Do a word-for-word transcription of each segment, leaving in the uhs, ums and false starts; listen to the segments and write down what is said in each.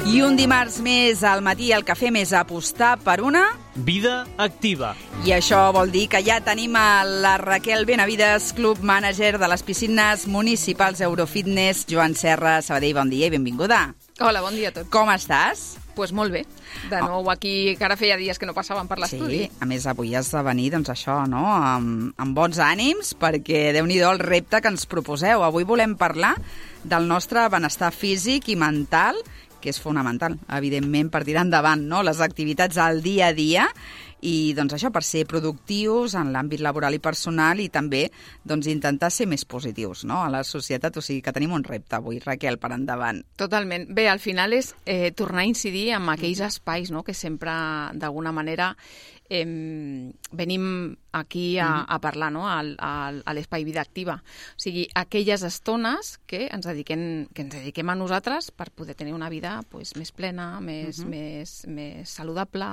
I un dimarts més al matí el que fem és apostar per una... vida activa. I això vol dir que ja tenim a la Raquel Benavides, Club Manager de les piscines municipals Eurofitness. Joan Serra, Sabadell, bon dia i benvinguda. Hola, bon dia a tots. Com estàs? Pues molt bé. De nou aquí, que ara feia dies que no passàvem per l'estudi. Sí, a més avui has de venir, doncs això, no?, amb, amb bons ànims, perquè déu-n'hi-do el repte que ens proposeu. Avui volem parlar del nostre benestar físic i mental, que és fonamental, evidentment, per tirar endavant, no?, les activitats al dia a dia, i doncs això, per ser productius en l'àmbit laboral i personal i també doncs, intentar ser més positius, no?, a la societat. O sigui que tenim un repte avui, Raquel, per endavant. Totalment. Bé, al final és eh, tornar a incidir en aquells espais, no?, que sempre, d'alguna manera, eh, venim aquí a, a parlar, no?, al, al, a l'espai Vida Activa. O sigui, aquelles estones que ens dediquem, que ens dediquem a nosaltres per poder tenir una vida pues, més plena, més, uh-huh. més, més saludable,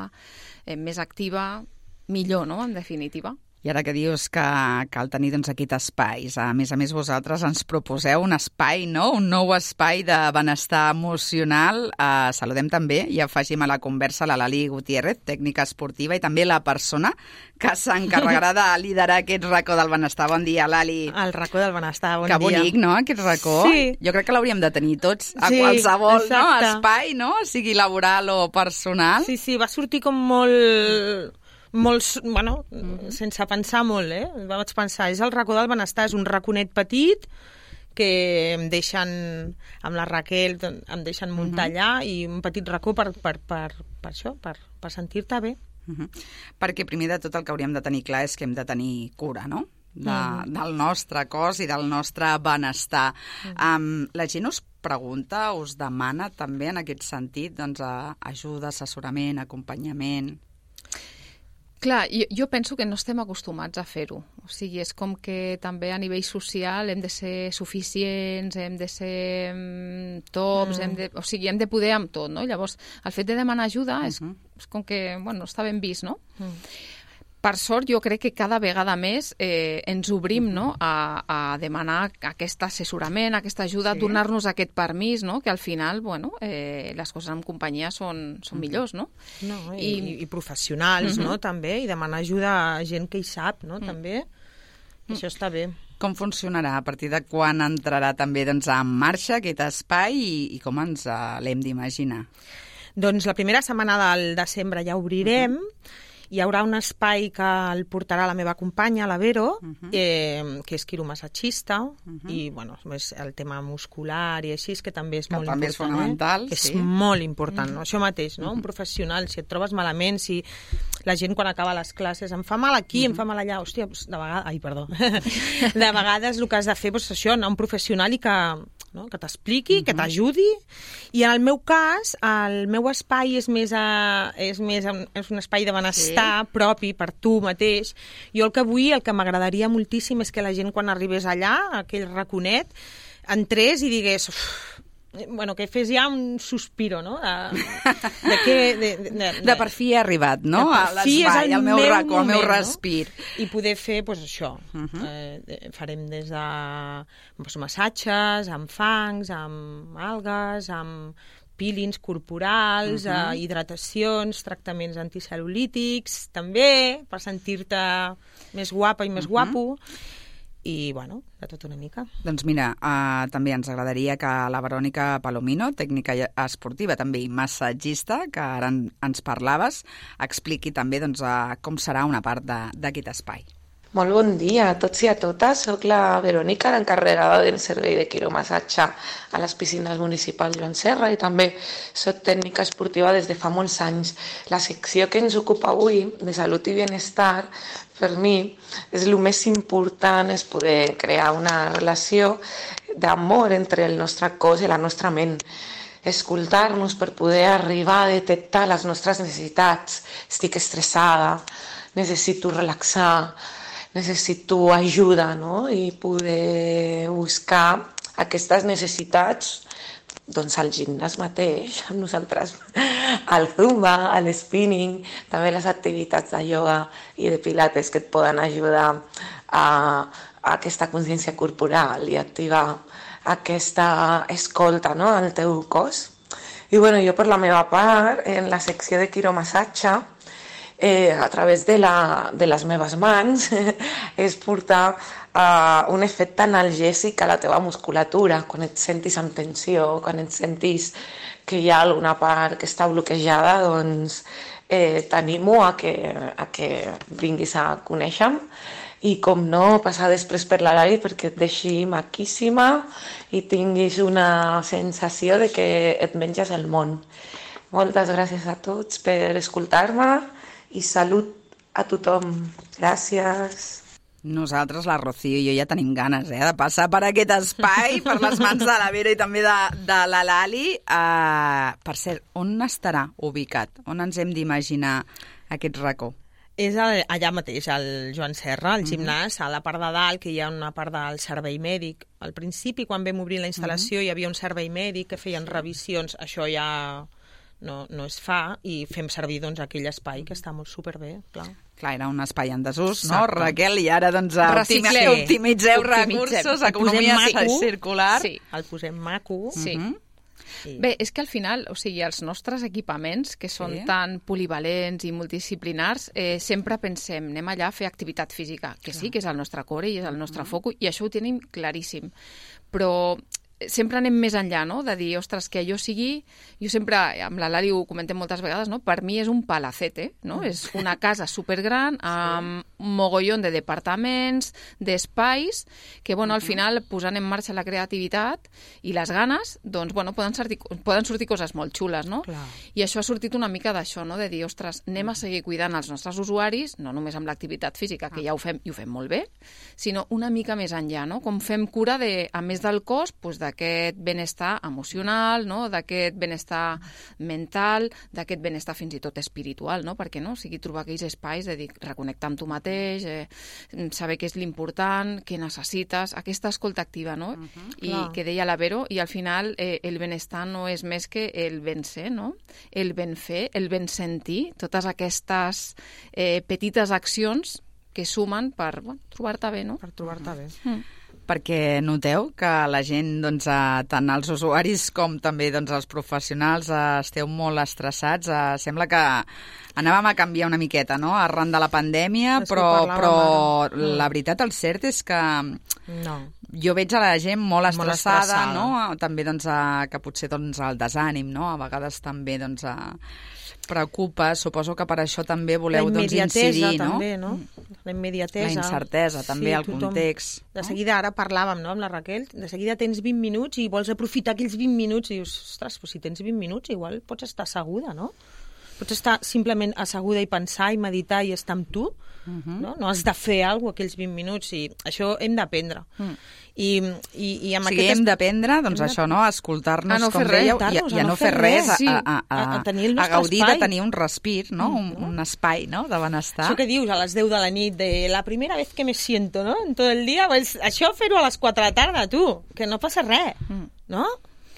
eh, més activa, millor, no?, en definitiva. I ara que dius que cal tenir doncs, aquest espais, a més a més vosaltres ens proposeu un espai, no?, un nou espai de benestar emocional. Uh, saludem també i afegim a la conversa la Lali Gutiérrez, tècnica esportiva, i també la persona que s'encarregarà de liderar aquest racó del benestar. Bon dia, Lali. El racó del benestar, bon que dia. Que bonic, no?, aquest racó. Sí. Jo crec que l'hauríem de tenir tots, a sí, qualsevol no? espai, exacte. no?, sigui laboral o personal. Sí, sí, va sortir com molt... molt, bueno, mm-hmm. sense pensar molt, eh? Vaig pensar, és el racó del benestar, és un raconet petit que em deixen, amb la Raquel, em deixen muntar mm-hmm. allà, i un petit racó per, per, per, per això, per, per sentir-te bé. Mm-hmm. Perquè primer de tot el que hauríem de tenir clar és que hem de tenir cura, no?, de, mm-hmm. del nostre cos i del nostre benestar. Mm-hmm. Um, la gent us pregunta, us demana també en aquest sentit doncs, ajuda, assessorament, acompanyament... Clar, jo, jo penso que no estem acostumats a fer-ho. O sigui, és com que també a nivell social hem de ser suficients, hem de ser um, tops, mm. hem de, o sigui, hem de poder amb tot, no? Llavors, el fet de demanar ajuda és, uh-huh. és com que, bueno, està ben vist, no? Mm. Per sort, jo crec que cada vegada més eh, ens obrim, no?, a, a demanar aquest assessorament, aquesta ajuda, sí. donar-nos aquest permís, no?, que al final, bueno, eh, les coses en companyia són, són uh-huh. millors, no? No, i, I, i professionals, uh-huh. no?, també, i demanar ajuda a gent que hi sap, no?, uh-huh. també. Uh-huh. Això està bé. Com funcionarà? A partir de quan entrarà també doncs, en marxa aquest espai i, i com ens uh, l'hem d'imaginar? Doncs la primera setmana del desembre ja obrirem. Uh-huh. Hi haurà un espai que el portarà la meva companya, la Vero, uh-huh. eh, que és quiromassatgista, uh-huh. i bueno, és el tema muscular i així, que també és que molt també important. És fonamental, eh? sí. És molt important, uh-huh. no? Això mateix, no? Uh-huh. Un professional, si et trobes malament, si la gent quan acaba les classes em fa mal aquí, uh-huh. em fa mal allà, hòstia, doncs de vegades... Ai, perdó. De vegades el que has de fer és doncs, això, anar a un professional i que... no? que t'expliqui, uh-huh. que t'ajudi, i en el meu cas el meu espai és més, a, és més a, és un espai de benestar sí. propi per tu mateix. Jo el que vull, el que m'agradaria moltíssim és que la gent quan arribés allà, a aquell raconet, entrés i digués uf, bueno, que fes ja un sospiro, no? De, de, que, de, de, de, de per fi he arribat, no? De per fi és el al meu meu racó, al meu moment, respir. No? I poder fer, doncs, això. Uh-huh. Eh, farem des de doncs, massatges, amb fangs, amb algues, amb peelings corporals, uh-huh. eh, hidratacions, tractaments anticel·lulítics, també, per sentir-te més guapa i més uh-huh. guapo. I, bueno, de tot una mica. Doncs mira, uh, també ens agradaria que la Verònica Palomino, tècnica esportiva, també i massatgista, que ara en, ens parlaves, expliqui també doncs, uh, com serà una part d'aquest espai. Molt bon dia a tots i a totes. Soc la Verònica, l'encarregada del servei de quiromassatge a les piscines municipals Joan Serra, i també soc tècnica esportiva des de fa molts anys. La secció que ens ocupa avui, de salut i benestar, per mi és el més important, és poder crear una relació d'amor entre el nostre cos i la nostra ment. Escoltar-nos per poder arribar a detectar les nostres necessitats. Estic estressada, necessito relaxar, necessito ajuda, no? I poder buscar aquestes necessitats doncs al gimnàs mateix, amb nosaltres, al zumba, al spinning, també les activitats de ioga i de pilates que et poden ajudar a, a aquesta consciència corporal i activar aquesta escolta, no?, al teu cos. I bueno, jo per la meva part, en la secció de quiromassatge, eh, a través de, la, de les meves mans, és portar uh, un efecte analgèsic a la teva musculatura, quan et sentis amb tensió, quan et sentis que hi ha alguna part que està bloquejada, doncs eh, t'animo a que, a que vinguis a conèixer-me. I com no, passar després per l'Alali perquè et deixi maquíssima i tinguis una sensació de que et menges el món. Moltes gràcies a tots per escoltar-me i salut a tothom. Gràcies. Nosaltres, la Rocío i jo ja tenim ganes eh, de passar per aquest espai, per les mans de la Vera i també de, de la Lali. Uh, per cert, on estarà ubicat? On ens hem d'imaginar aquest racó? És el, allà mateix, al Joan Serra, al gimnàs, a la part de dalt, que hi ha una part del servei mèdic. Al principi, quan vam obrir la instal·lació, uh-huh. hi havia un servei mèdic que feien revisions. Això ja no, no es fa i fem servir doncs, aquell espai, que està molt superbé, clar. Clar, era un espai en desús, no, Exacte. Raquel? I ara, doncs, Reciclem. optimitzeu Optimitzem. recursos, economia circular. Sí. El posem maco. Sí. Uh-huh. Sí. Bé, és que al final, o sigui, els nostres equipaments, que són Sí. tan polivalents i multidisciplinars, eh, sempre pensem, anem allà a fer activitat física, que sí, que és el nostre core i és el nostre foco, i això ho tenim claríssim. Però sempre anem més enllà, no?, de dir, ostres, que allò sigui... Jo sempre, amb la Lali ho comentem moltes vegades, no?, per mi és un palacete, no?, és una casa supergran amb un mogollon de departaments, d'espais, que, bueno, al final, posant en marxa la creativitat i les ganes, doncs, bueno, poden sortir, poden sortir coses molt xules, no? Clar. I això ha sortit una mica d'això, no?, de dir, ostres, anem a seguir cuidant els nostres usuaris, no només amb l'activitat física, que ja ho fem, i ho fem molt bé, sinó una mica més enllà, no?, com fem cura, de, a més del cos, doncs, de d'aquest benestar emocional, no? D'aquest benestar mental, d'aquest benestar fins i tot espiritual, no? Perquè no? O sigui, trobar aquells espais de dir, reconnectar amb tu mateix, eh, saber què és l'important, què necessites, aquesta escolta activa, no? Uh-huh, I clar. Que deia la Vero, i al final eh, el benestar no és més que el ben ser, no? El ben fer, el ben sentir, totes aquestes eh, petites accions que sumen per bueno, trobar-te bé, no? Per trobar-te bé. Mm. Perquè noteu que la gent, doncs, eh, tant els usuaris com també doncs, els professionals, eh, esteu molt estressats. Eh, sembla que anàvem a canviar una miqueta, no?, arran de la pandèmia, És però, però ara. la veritat, el cert és que No. jo veig a la gent molt estressada, Molt estressada. no?, també doncs, eh, que potser doncs, el desànim, no?, a vegades també doncs, eh, preocupa. Suposo que per això també voleu doncs, incidir, no? també, no? La immediatesa. La incertesa, també, el tothom. context. De seguida, ara parlàvem, no?, amb la Raquel, de seguida tens vint minuts i vols aprofitar aquells vint minuts i dius, ostres, però si tens vint minuts igual pots estar asseguda, no? Pots estar simplement asseguda i pensar i meditar i estar amb tu, uh-huh. no? No has de fer alguna cosa aquells vint minuts i això hem d'aprendre. Mm. I, i, i amb o sigui, aquest... hem d'aprendre, doncs això, no?, a escoltar-nos, a no com fer res, dèieu, i, i a no fer res, sí. a, a, a, A- a tenir el a nostre gaudir espai. de tenir un respir, no?, un, un espai, no?, de benestar. Això que dius a les deu de la nit, de la primera vez que me siento, no?, en tot el dia, pues, això fer-ho a les quatre de la tarda, tu, que no passa res, Mm. no?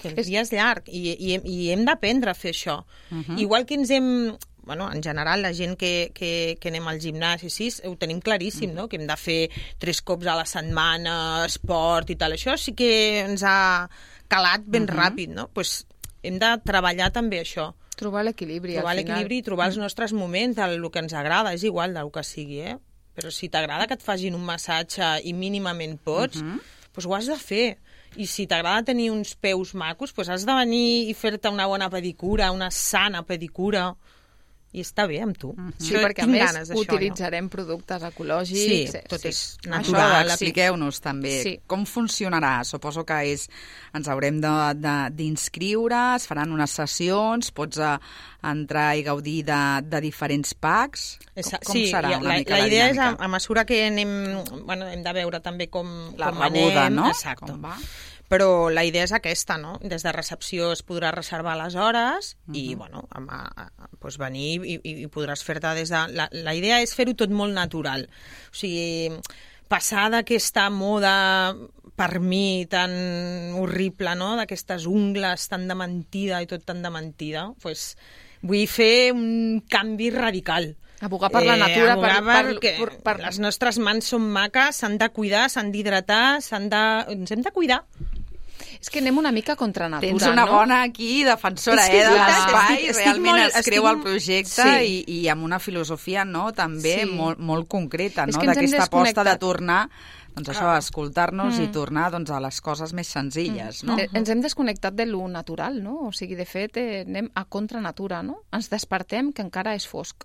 Que el dia és llarg i, i, i hem d'aprendre a fer això. Uh-huh. Igual que ens hem... Bueno, en general, la gent que, que, que anem al gimnàs i així, ho tenim claríssim, no?, que hem de fer tres cops a la setmana, esport i tal. Això sí que ens ha calat ben Uh-huh. ràpid, no? Pues hem de treballar també això. Trobar l'equilibri, Trobar al final. l'equilibri i trobar els nostres moments del que ens agrada, és igual del que sigui, eh? Però si t'agrada que et facin un massatge i mínimament pots, Uh-huh. doncs ho has de fer. I si t'agrada tenir uns peus macos, doncs has de venir i fer-te una bona pedicura, una sana pedicura, i està bé amb tu. Uh-huh. Sí, Això, perquè a tinc més ganes d'això, utilitzarem productes ecològics. Sí, tot és Això, natural. expliqueu-nos també Sí. com funcionarà. Suposo que és, ens haurem de- de- d'inscriure, es faran unes sessions, pots a, entrar i gaudir de, de diferents packs. Esa- Com, com sí, serà la, una mica la la idea és, a, dinàmica? a mesura que anem... Bueno, hem de veure també com, La com rebuda, anem. no? Exacte. Com va? Però la idea és aquesta, no? Des de recepció es podrà reservar les hores uh -huh. i, bueno, a, a, a, doncs venir i, i, i podràs fer-te des de... La, la idea és fer-ho tot molt natural. O sigui, passar d'aquesta moda, per mi, tan horrible, no?, d'aquestes ungles tan de mentida i tot tan de mentida, doncs vull fer un canvi radical. Abogar per la natura, abogar per, per, que per, per... les nostres mans són maques, s'han de cuidar, s'han d'hidratar, s'han de... ens hem de cuidar. És que anem una mica contra natura, Tens una no? bona aquí defensora, És que eh, de clar, l'espai, estic- estic realment molt- es creu estic- el projecte Sí. i, i amb una filosofia, no?, també Sí. molt, molt concreta, És no?, que ens hem d'aquesta aposta de desconnectat. tornar, doncs això, a escoltar-nos Mm. i tornar doncs, a les coses més senzilles, no? Eh, Ens hem desconnectat de lo natural, no? O sigui, de fet, eh, anem a contra natura, no? Ens despertem que encara és fosc,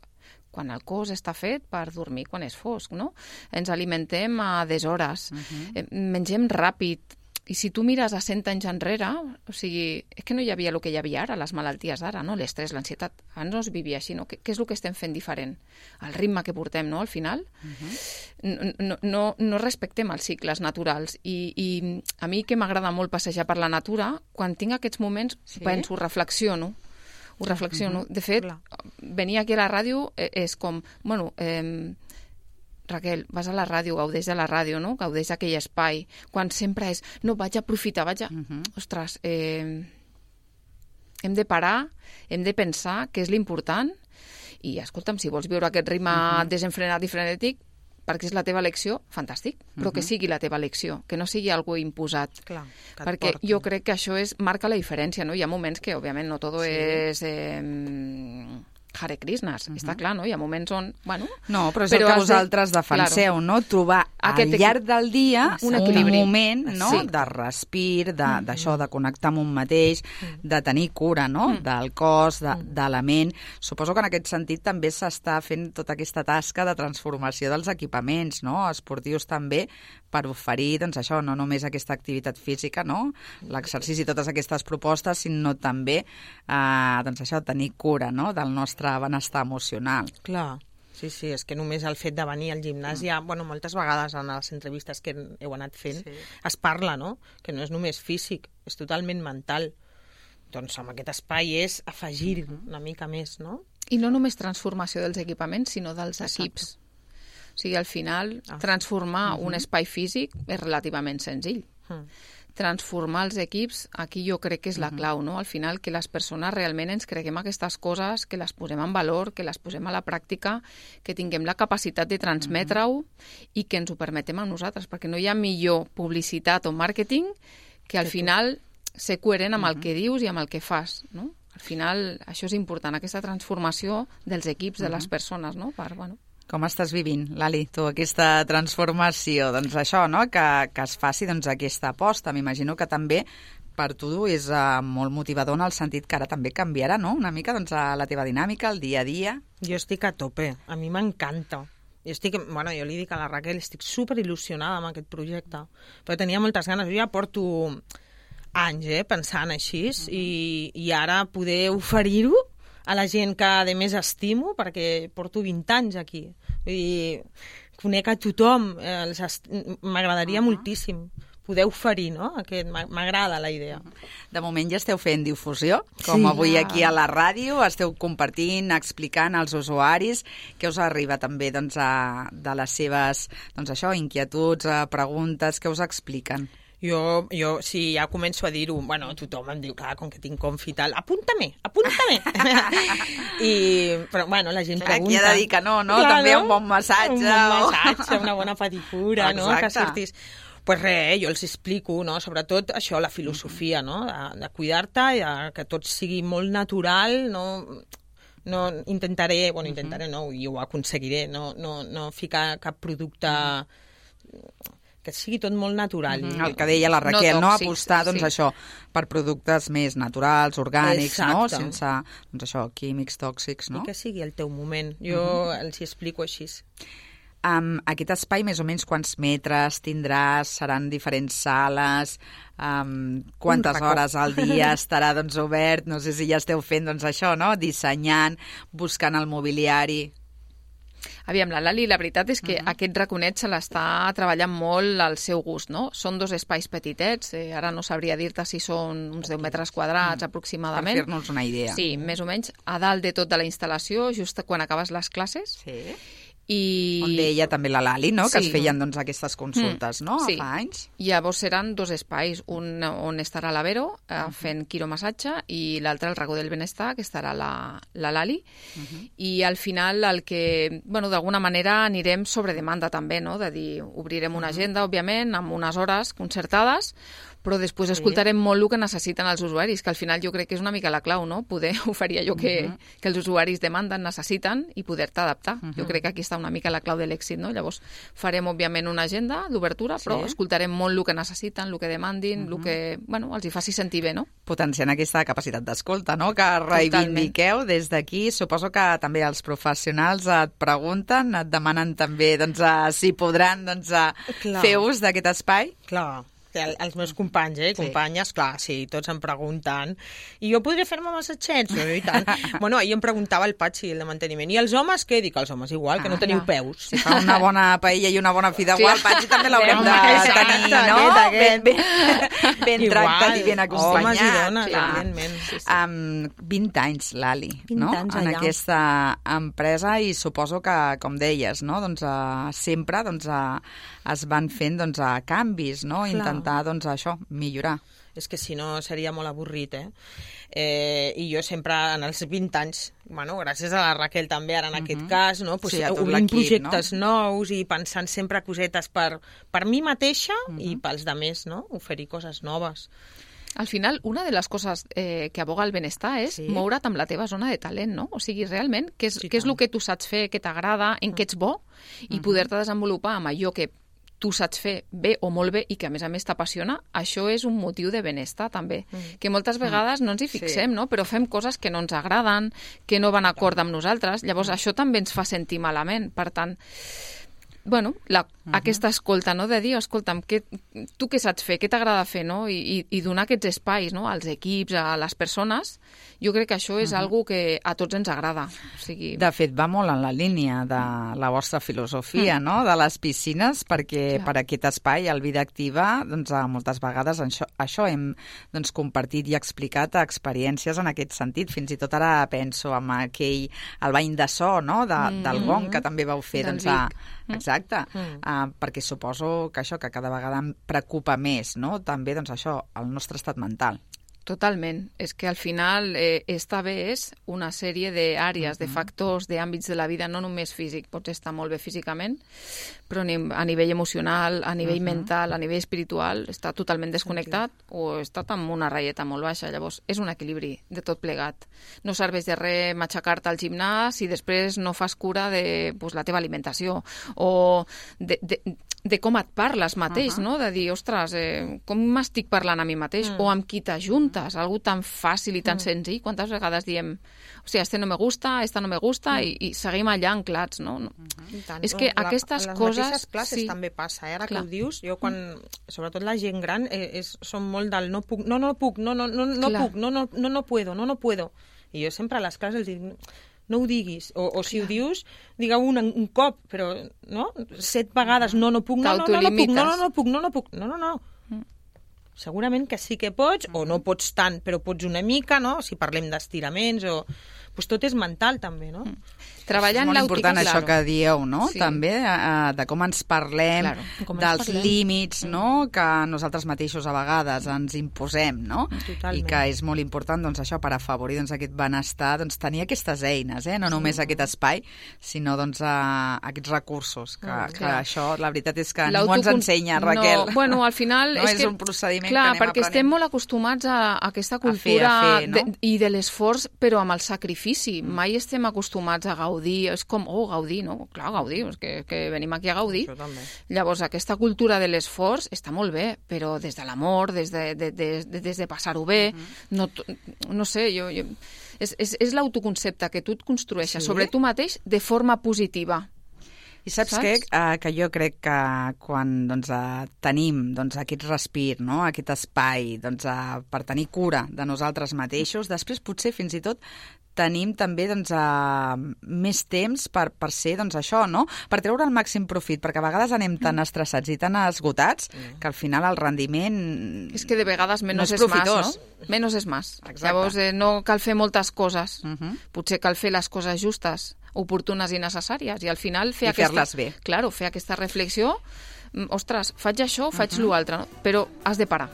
quan el cos està fet per dormir quan és fosc, no? Ens alimentem a deshores, uh-huh. eh, mengem ràpid, i si tu mires a cent anys enrere, o sigui, és que no hi havia el que hi havia ara, les malalties d'ara, no? L'estrès, l'ansietat, abans no es vivia així, no? Què, què és el que estem fent diferent? El ritme que portem, no?, al final. Uh-huh. No, no, no respectem els cicles naturals. I, i a mi que m'agrada molt passejar per la natura, quan tinc aquests moments, Sí? penso, reflexiono, ho reflexiono. Uh-huh. De fet, Clar. venir aquí a la ràdio eh, és com, bueno, eh, Raquel, vas a la ràdio, gaudeix de la ràdio, no? Gaudeix d'aquell espai. Quan sempre és, no, vaig a aprofitar, vaig a... Mhm. Ostres, eh, hem de parar, hem de pensar què és l'important i, escolta'm, si vols viure aquest ritme desenfrenat i frenètic, perquè és la teva elecció, fantàstic, però que sigui la teva elecció, que no sigui algo imposat. Clar, que et Perquè porti. jo crec que això és, marca la diferència, no? Hi ha moments que, òbviament, no tot Sí. és eh, Hare Krishnas, està clar, no? Hi ha moments on, bueno... No, però és però el que has de- vosaltres defenseu, claro. no? Trobar Aquest al llarg del dia un un, equilibri. moment, no?, Sí. de respir, de- d'això, de, de connectar amb un mateix, de tenir cura, no?, del cos, de, de la ment. Suposo que en aquest sentit també s'està fent tota aquesta tasca de transformació dels equipaments, no?, esportius també, per oferir, doncs això, no només aquesta activitat física, no?, l'exercici i totes aquestes propostes, sinó també, eh, doncs això, tenir cura, no?, del nostre benestar emocional. Clar, sí, sí, és que només el fet de venir al gimnàs, ja, bueno, moltes vegades en les entrevistes que heu anat fent, Sí. es parla, no?, que no és només físic, és totalment mental. Doncs amb aquest espai és afegir una mica més, no? I no només transformació dels equipaments, sinó dels Exacte. equips. O sigui, al final, Ah. transformar un espai físic és relativament senzill. Mm. Transformar els equips, aquí jo crec que és la clau, no? Al final, que les persones realment ens creguem aquestes coses, que les posem en valor, que les posem a la pràctica, que tinguem la capacitat de transmetre-ho i que ens ho permetem a nosaltres, perquè no hi ha millor publicitat o màrqueting que al final ser coherent amb el que dius i amb el que fas, no? Al final, això és important, aquesta transformació dels equips, de les persones, no? Per, bueno, Com estàs vivint, Lali, tu, aquesta transformació? Doncs això, no?, que, que es faci doncs, aquesta aposta. M'imagino que també per tu és uh, molt motivador en el sentit que ara també canviarà, no?, una mica doncs, a la teva dinàmica, el dia a dia. Jo estic a tope, a mi m'encanta. Jo estic, bueno, jo li dic a la Raquel, estic super il·lusionada amb aquest projecte, però tenia moltes ganes. Jo ja porto anys eh, pensant així, uh-huh. i, i ara poder oferir-ho a la gent que a més estimo, perquè porto vint anys aquí. Vull dir, conec a tothom, eh, els est... m'agradaria uh-huh. moltíssim poder oferir, no? Aquest, m'agrada la idea. De moment ja esteu fent difusió, com Sí. avui aquí a la ràdio, esteu compartint, explicant als usuaris què us arriba també doncs, a, de les seves doncs, això, inquietuds, a preguntes, què us expliquen. Jo, jo, sí, ja començo a dir-ho, bueno, tothom em diu, clar, com que tinc confi i tal, apunta-me, apunta-me. I, però, bueno, la gent Clar, pregunta. aquí ha de dir que no, no? També un bon massatge. Un bon o- massatge, una bona pedicura, no? Que Exacte. sortis... Pues res, jo els explico, no? Sobretot això, la filosofia, no? De, de cuidar-te, i de, que tot sigui molt natural, no... no intentaré, bueno, intentaré no, i ho aconseguiré, no, no, no ficar cap producte... que sigui tot molt natural. Mm, el que deia la Raquel, no, No tòxics, apostar doncs, sí. això per productes més naturals, orgànics, no? Exacte. Sense doncs, això, químics tòxics, no? I que sigui el teu moment. Jo uh -huh. els hi explico així. Um, aquest espai, més o menys, quants metres tindràs? Seran diferents sales? Um, quantes racó. hores al dia estarà doncs, obert? No sé si ja esteu fent doncs, això, no? Dissenyant, buscant el mobiliari. Aviam, la Lali, la veritat és que uh -huh. aquest raconet se l'està treballant molt al seu gust, no? Són dos espais petitets, eh, ara no sabria dir-te si són uns deu metres quadrats, Per aproximadament. fer-nos una idea. Sí, més o menys, a dalt de tot de la instal·lació, just quan acabes les classes. Sí. I... On deia també la Lali, no? Que Sí. es feien doncs, aquestes consultes, Mm, no? sí. Fa anys. Llavors seran dos espais, un on estarà la Vero eh, fent quiromassatge i l'altre el racó del benestar, que estarà la, la Lali. Uh -huh. I al final el que, bueno, d'alguna manera anirem sobre demanda també, no? De dir, obrirem una agenda, òbviament, amb unes hores concertades, però després sí. escoltarem molt el que necessiten els usuaris, que al final jo crec que és una mica la clau, no? Poder oferir allò que, uh -huh. que els usuaris demanden, necessiten i poder-te adaptar. Uh -huh. Jo crec que aquí està una mica la clau de l'èxit, no? Llavors farem, òbviament, una agenda d'obertura, però sí. escoltarem molt el que necessiten, el que demandin, uh -huh. el que, bueno, els hi faci sentir bé, no? Potenciant aquesta capacitat d'escolta, no? Que reivindiqueu des d'aquí. Suposo que també els professionals et pregunten, et demanen també doncs, a, si podran doncs, a fer ús d'aquest espai. Clar. El, els meus companys, eh? Companyes, sí. clar, sí, tots em pregunten. I jo podria fer-me massatgets? No, i tant. Bueno, ahir em preguntava el Patxi, el de manteniment. I els homes, què? Dic, els homes igual, ah, que no teniu clar. peus. Si fa una bona paella i una bona fideuà, el Patxi també l'haurem de tenir, no? Aquest, aquest. Ben, ben, ben igual, tractat i ben acompanyat. Homes i dones, evidentment. Sí, sí. Um, vint anys, Lali, vint no? anys en allà. aquesta empresa, i suposo que, com deies, no? doncs, uh, sempre doncs, uh, es van fent doncs, uh, canvis, no? Clar. Intentar doncs, això, millorar. És que si no seria molt avorrit, eh? eh? I jo sempre, en els vint anys, bueno, gràcies a la Raquel també, ara en uh-huh. aquest cas, no? Pues, sí, obrint projectes no? nous i pensant sempre cosetes per, per mi mateixa uh-huh. i pels demés, no? Oferir coses noves. Al final, una de les coses eh, que aboga el benestar és sí. moure't amb la teva zona de talent, no? O sigui, realment, què és, sí, què és el que tu saps fer, que t'agrada, en uh-huh. què ets bo, i uh-huh. poder-te desenvolupar amb allò que tu saps fer bé o molt bé i que a més a més t'apassiona, això és un motiu de benestar també, mm. que moltes vegades no ens hi fixem, sí. no? Però fem coses que no ens agraden, que no van acord amb nosaltres, llavors mm. això també ens fa sentir malament, per tant, bueno, la, uh-huh. aquesta escolta, no? De dir, escolta'm, que, tu què saps fer, què t'agrada fer, no? I, i, i donar aquests espais, no? Als equips, a les persones, jo crec que això és uh-huh. algo que a tots ens agrada. O sigui... De fet, va molt en la línia de la vostra filosofia, mm. no? De les piscines, perquè Clar. per aquest espai, el Vida Activa, doncs, moltes vegades això, això hem doncs, compartit i explicat experiències en aquest sentit. Fins i tot ara penso en aquell, el bany de so, no? De, mm. del gong, que també vau fer, doncs, a, exacte, mm. uh, perquè suposo que això, que cada vegada em preocupa més, no? També, doncs, això, el nostre estat mental. Totalment. És que al final eh, esta bé és una sèrie d'àrees, uh-huh. de factors, d'àmbits de la vida, no només físic. Pots estar molt bé físicament, però a nivell emocional, a nivell uh-huh. mental, a nivell espiritual, està totalment desconnectat sí. o està amb una ratlleta molt baixa. Llavors, és un equilibri de tot plegat. No serveix de res matxacar-te al gimnàs i després no fas cura de pues, la teva alimentació o de... de de com et parles mateix, uh-huh. no? De dir, ostres, eh, com m'estic parlant a mi mateix? Mm. O amb qui t'ajuntes? Algo tan fàcil i tan mm. senzill. Quantes vegades diem, o sigui, este no me gusta, esta no me gusta, mm. i, i seguim allà anclats, no? no. Uh-huh. És que la, aquestes les coses... Les mateixes classes sí. també passa, eh? Ara Clar. que ho dius, jo quan, sobretot la gent gran, eh, és, són molt del no puc, no, no puc, no, no, no, no puc, no, no, no, no puedo, no, no puedo. I jo sempre a les classes els dic... no ho diguis, o, o si ho dius, digueu un, un cop, però no? Set vegades, no, no puc, no, no, no, no puc, no, no, no puc, no, no puc, no, no, no. Mm. Segurament que sí que pots, o no pots tant, però pots una mica, no? Si parlem d'estiraments, o... Pues tot és mental, també, no? Mm. Treballant és molt important claro. això que dieu, no? Sí. També uh, de com ens parlem, claro. com dels ens parlem. límits, no? Que nosaltres mateixos a vegades ens imposem, no? Totalment. I que és molt important, doncs, això, per afavorir doncs, aquest benestar, doncs, tenir aquestes eines, eh? No només sí. aquest espai, sinó doncs, uh, aquests recursos, que, mm, que això, la veritat és que ningú ens ensenya, Raquel. No, bueno, al final... no és, és que, un procediment clar, que anem perquè aprenent. estem molt acostumats a, a aquesta cultura a fer, a fer, no? de, i de l'esforç, però amb el sacrifici. Mm. Mai estem acostumats a gaudir, és com, oh, gaudir, no? Clar, gaudir, és que, que venim aquí a gaudir. Llavors, aquesta cultura de l'esforç està molt bé, però des de l'amor, des de, de, de, de, des de passar-ho bé, uh-huh. no, no sé, jo... jo és és, és l'autoconcepte que tu et construeixes sí? sobre tu mateix de forma positiva. I saps, saps? què? Uh, que jo crec que quan doncs, uh, tenim doncs, aquest respir, no? Aquest espai doncs, uh, per tenir cura de nosaltres mateixos, després potser fins i tot tenim també doncs, uh, més temps per, per ser doncs, això, no? Per treure el màxim profit, perquè a vegades anem tan estressats i tan esgotats que al final el rendiment és que de vegades menys no és, és més, no? Menys és més. Exacte. Llavors eh, no cal fer moltes coses. Uh-huh. Potser cal fer les coses justes, oportunes i necessàries, i al final fer I aquesta, fer-les bé. Claro, fer aquesta reflexió, ostres, faig això, faig uh-huh. l'altre, no? Però has de parar.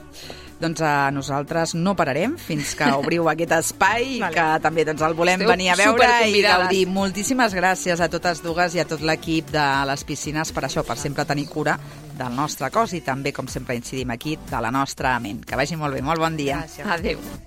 Doncs a nosaltres no pararem fins que obriu aquest espai, vale. Que també doncs, el volem Esteu venir a veure i gaudir. Moltíssimes gràcies a totes dues i a tot l'equip de les piscines per això, per sempre tenir cura del nostre cos i també, com sempre incidim aquí, de la nostra ment. Que vagi molt bé, molt bon dia. Gràcies. Adéu.